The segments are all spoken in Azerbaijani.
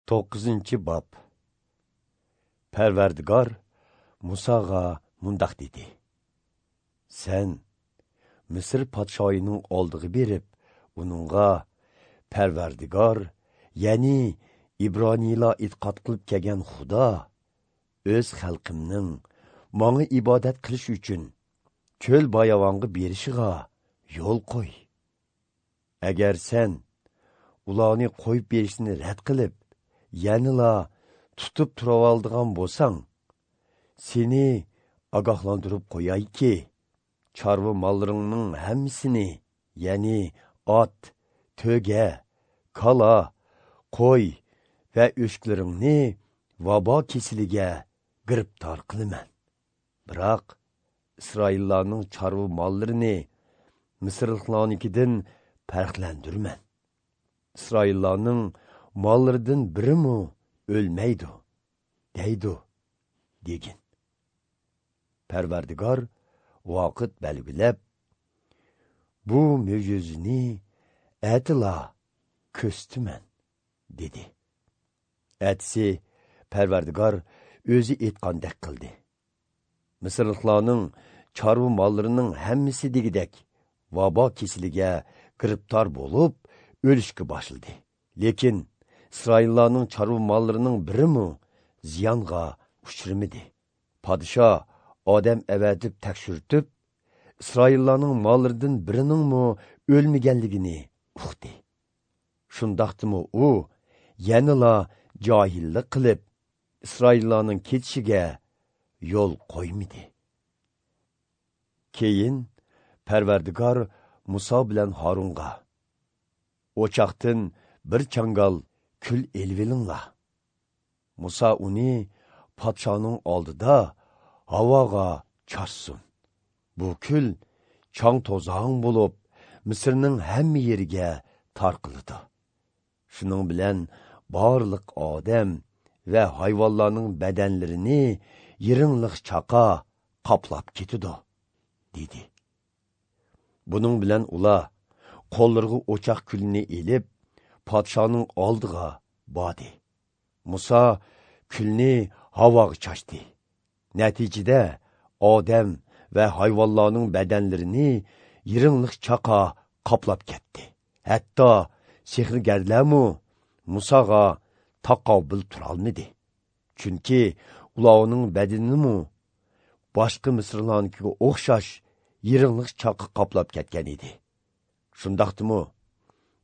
9-chi bob. Parvardigor Musoga mundaq dedi. Sen Misr podshoyining oldiga berib, uningga Parvardigor, ya'ni İbroniylar e'tiqod qilib kelgan Xudo o'z xalqimning menga ibodat qilish uchun ko'l bayavonga berishiga yo'l qo'y. Agar sen ularni qo'yib berishni rad qilib, yanila tutib turavaldigan bo'lsang, seni ogohlantirib qo'yayki, chorva mollaringning hammasini, ya'ni ot, to'ga, kala, qo'y va o'shklaringni vabo kesiliga giribtor qilaman. Biroq Isroillarning chorva mollarini Misrliklarnikidan farqlandirman. İsraillarning mollaridan birimi o'lmaydi, deydi, degin. Parvardigor vaqt belgilab, bu mo'jizani atila ko'stiman, dedi. Atsi Parvardigor o'zi aytgandek qildi. Misrliklarning chorva mollarining hammasi degidek vabo kesiliga giribtor bo'lib, o'lishga boshladi. Lekin İsraillarning chorva mollarining birimi ziyonga uchramadi. Podsho odam avatib tekshirtib, İsraillarning mollaridan biriningmi o'lmaganligini uqdi. Shundaqdimi u yanila johillik qilib, İsraillarning ketishiga yo'l qo'ymadi. Keyin Parvardigor Muso bilan Harunga o'choqdan bir changal kul elvilinglar. Muso uni podshoning oldida havoga chorsin. Bu kul chang to'zong bo'lib, Misrning hamma yeriga tarqaldi. Shuning bilan barliq odam va hayvonlarning badanlarini yirinliq chaqa qoplab ketdi, dedi. Buning bilan ular qo'llariga o'choq kulini elib, podshoning oldiga bordi. Muso kulni havoga chashdi. Natijada odam va hayvonlarning badanlarini yirinliq chaqa qoplab ketdi. Hatto sehrgarlarmi Musoga taqobil turolmadi. Chunki ularning badanini boshqa Misrlarnikiga o'xshash yirinliq chaqa qoplab ketgan edi. Shundaqdimi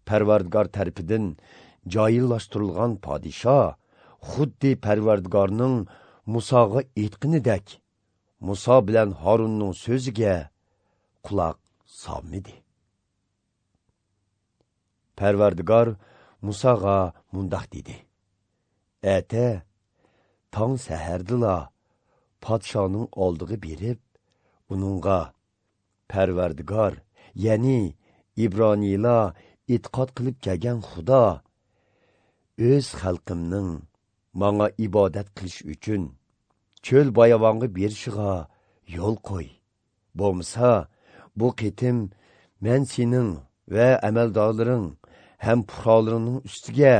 Parvardigor tarafidan joyillashtirilgan podsho xuddi Parvardigorning Musoga aytganidek Muso bilan Harunning so'ziga quloq solmadi. Parvardigor Musoga mundaq dedi. Ata tong sahardila podshoning oldiga berib, uningga Parvardigor, ya'ni İbroniylar e'tiqod qilib kelgan Xudo o'z xalqimning menga ibodat qilish uchun cho'l bayavonga berishiga yo'l qo'y. Bo'lmasa, bu qitim men sening va amaldorlaring ham puhrolaringning ustiga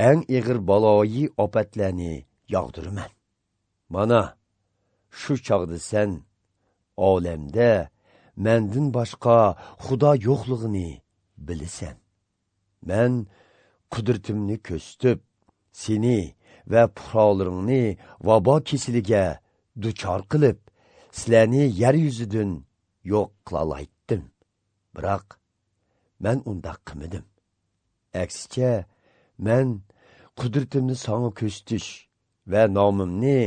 eng ig'ir baloyi ofatlarni yog'diraman. Mana shu chog'da sen olamda mendan boshqa Xudo yo'qligini bilasan. Men qudratimni ko'rsatib, seni va puhrolaringni vabo kesiliga duchor qilib, sizlarni yer yuzidan yo'q qilalaytdim. Biroq men undaq qilmadim. Aksicha, men qudratimni sana ko'rsatish va nomimni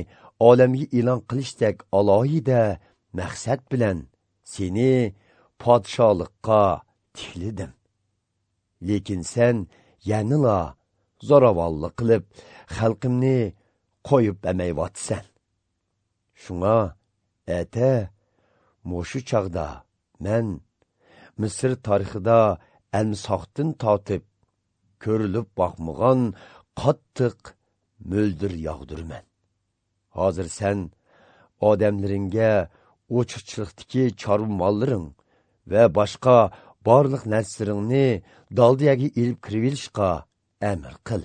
olamga e'lon qilishdek alohida maqsad bilan seni podsholikqa tiklidim. Lekin sen yanila zo'ravonlik qilib, xalqimni qo'yib emayvatsan. Shunga, ata, mushu chog'da men Misr tarixida almisoqdan tortib ko'rilib boqmagan qattiq mo'ldir yog'dirman. Hozir sen odamlaringga o'chiqchilikdagi chorva mollaring va boshqa barliq narsalaringni daldiyaga ilib kirivilishqa amr qil.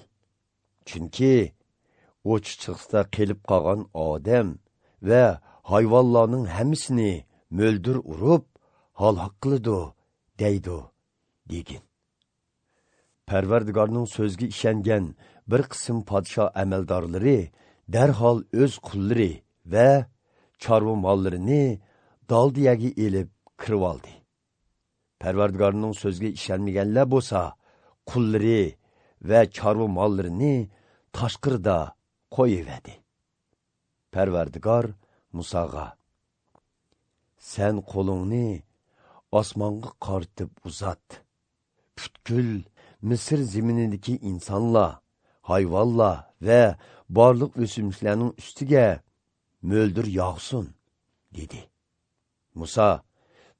Chunki o'chichiqda qelib qolgan odam va hayvonlarning hammasini mo'ldir urib, halok qiladi, deydi, degin. Parvardigorning so'ziga ishongan bir qism podsho amaldorlari darhol o'z qullari va chorva mollarini daldiyaga elib kirib oldi. Parvardigorning so'ziga ishonmaganlar bo'lsa, qullari va chorva mollarini tashqirda qo'yiverdi. Parvardigor Musoga: "Sen qo'lingni osmonga qartib uzat. Butkul Misr zaminidagi insonlar, hayvonlar va barliq o'simliklarning ustiga mo'ldir yog'sin", dedi. Musa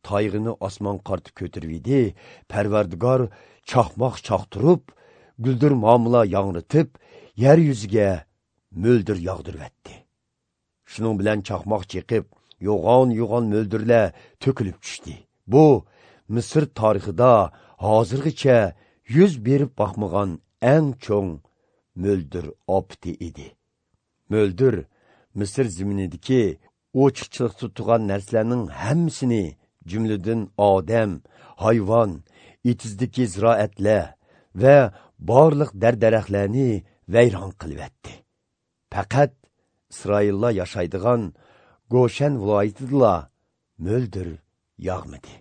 tayg'ini osmon qartib ko'tirdi. Parvardigor chaqmoq chaqtirib, guldir mamla yangritib, yer yuziga mo'ldir yog'dirvatdi. Shuning bilan chaqmoq chiqib, yo'g'on mo'ldirlar to'kilib tushdi. Bu Misr tarixida hozirgacha yuz berib boqmagan eng cho'ng mo'ldir opti edi. Mo'ldir Misr zaminidagi o'chiqchilik tutgan narsalarning hammasini, jumladan odam, hayvon, itizdagi ziroatlar va barliq daraxtlarni vayron qilibdi. Faqat İsraillar yashaydigan Goshen viloyatida mo'ldir yog'madi.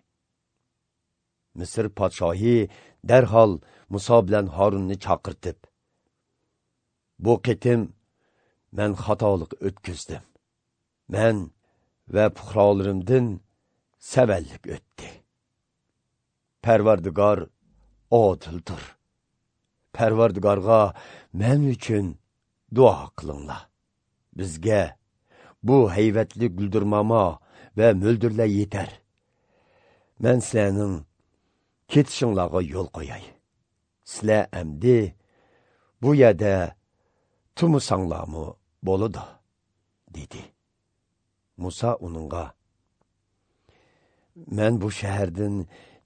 Misr podshohi darhol Muso bilan Harunni chaqirtib: "Bu qitim men xatolik o'tkazdim. Men va puhrolarimdan savallik o'tdi. Parvardigor odildir. Parvardigorga men uchun duo qilinglar. Bizga bu hayvatli guldirmama va mo'ldirlar yetar. Men sizlarning ketishinglarga yo'l qo'yay. Sizlar amdi bu yerda tumusanglarmi bo'ladi", dedi. Musa uningga: "Men bu shahardan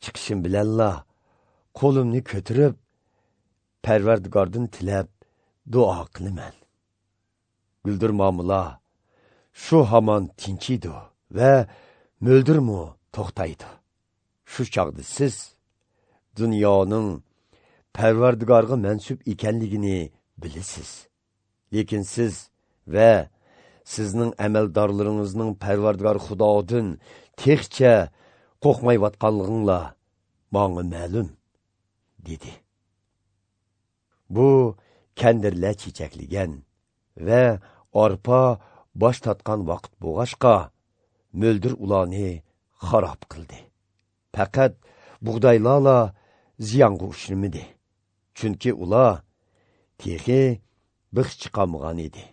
chiqishim bilanla qo'limni ko'tarib Parvardigordan tilab duo qilaman. Guldirmamlar shu hamon tinchiydi va mo'ldirmi to'xtaydi. Shu chog'da siz dunyoning Parvardigorga mansub ekanligini bilasiz. Lekin siz va sizning amaldorlaringizning Parvardigor Xudodan texcha qo'rqmayotganliginglar menga ma'lum", dedi. Bu kandirlar chechakligan va arpa bosh tatgan vaqt bo'g'ashqa mo'ldir ularni xarob qildi. Faqat bug'doylarla ziyonga uchramadi. Chunki ular texi bix chiqamagan edi.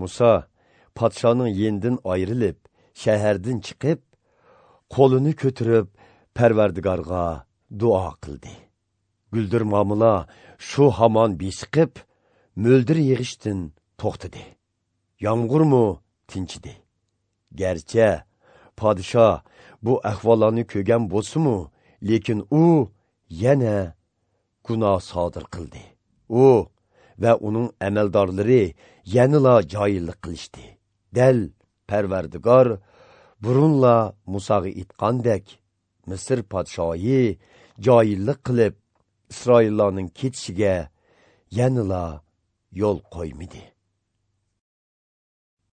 Musa podshoning yenidan ayrilib, shahardan chiqib, qo'lini ko'tarib Parvardigorga duo qildi. Guldirmamlar shu hamon besiqib, mo'ldir yig'ishdan to'xtadi. Yomg'irmi tinchidi. Garchi podsho bu ahvollarni ko'rgan bo'lsa-mu, lekin u yana gunoh sodir qildi. U va uning amaldorlari yanila joyillik qilishdi. Dal Parvardigor burunla Musoga aytgandek, Misr podshoyi joyillik qilib, İsraillarning ketishiga yanila yo'l qo'ymadi.